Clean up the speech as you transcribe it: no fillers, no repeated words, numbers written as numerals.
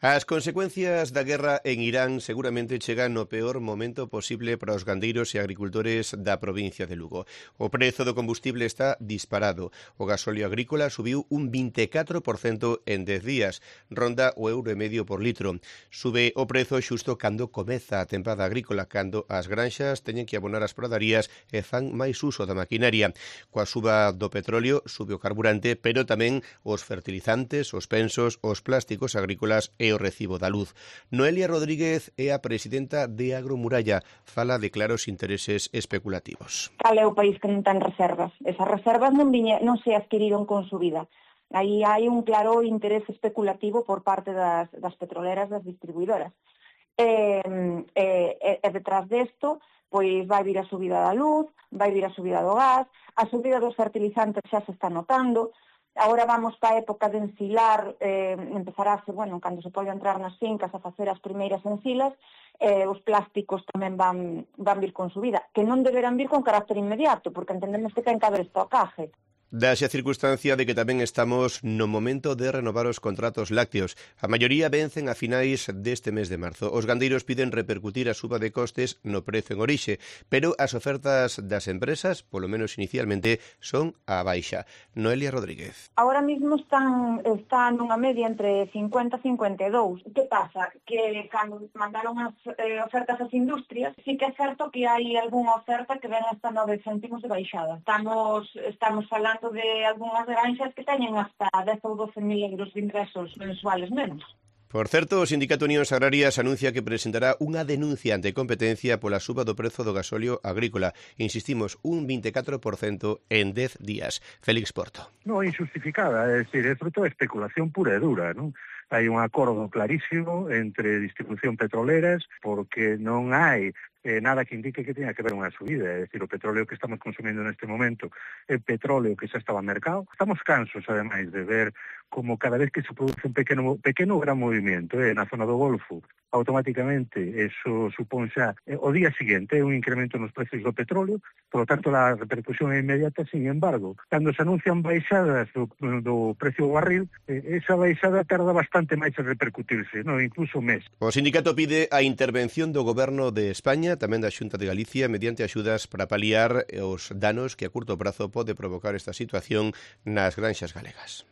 As consecuencias da guerra en Irán seguramente chegan no peor momento posible para os gandeiros e agricultores da provincia de Lugo. O prezo do combustible está disparado. O gasóleo agrícola subiu un 24% en 10 días, ronda o €1,5 por litro. Sube o prezo xusto cando comeza a tempada agrícola, cando as granxas teñen que abonar as pradarías e fan máis uso da maquinaria. Coa suba do petróleo sube o carburante, pero tamén os fertilizantes, os pensos, os plásticos agrícolas e o recibo da luz. Noelia Rodríguez é a presidenta de Agromuralla. Fala de claros intereses especulativos. Cal é o país que non ten reservas? Esas reservas non se adquiriron con subida. Aí hai un claro interés especulativo por parte das petroleras, das distribuidoras. Detrás desto, pois vai vir a subida da luz, vai vir a subida do gas, a subida dos fertilizantes xa se está notando. Agora vamos para a época de ensilar, empezarase, cando se pode entrar nas fincas a facer as primeiras ensilas, os plásticos tamén van vir con subida, que non deberán vir con carácter inmediato, porque entendemos que ten que haber estocaje. Dase a circunstancia de que tamén estamos no momento de renovar os contratos lácteos. A maioría vencen a finais deste mes de marzo. Os gandeiros piden repercutir a suba de costes no prezo en orixe, pero as ofertas das empresas, polo menos inicialmente, son á baixa. Noelia Rodríguez. Agora mesmo están nunha media entre 50 e 52. Que pasa? Que cando mandaron as ofertas ás industrias, sí que é certo que hai algunha oferta que ven hasta 9 céntimos de baixada. Estamos falando de algunhas granxas que teñen hasta 10 ou 12.000 euros de ingresos mensuales menos. Por certo, o Sindicato Unións Agrarias anuncia que presentará unha denuncia ante competencia pola suba do prezo do gasóleo agrícola. Insistimos, un 24% en 10 días. Félix Porto. Non injustificada, é dicir, é fruto de especulación pura e dura, non? Hai un acordo clarísimo entre distribución petroleras porque non hai nada que indique que tenha que haber unha subida, é dicir, o petróleo que estamos consumindo neste momento é petróleo que xa estaba no mercado. Estamos cansos, ademais, de ver como cada vez que se produce un pequeno gran movimento na zona do Golfo, automáticamente eso supón xa o día seguinte un incremento nos precios do petróleo, por lo tanto a repercusión é inmediata. Sin embargo, cando se anuncian baixadas do precio do barril, esa baixada tarda bastante máis en repercutirse, incluso un mes. O sindicato pide a intervención do Goberno de España, tamén da Xunta de Galicia, mediante axudas para paliar os danos que a curto prazo pode provocar esta situación nas granxas galegas.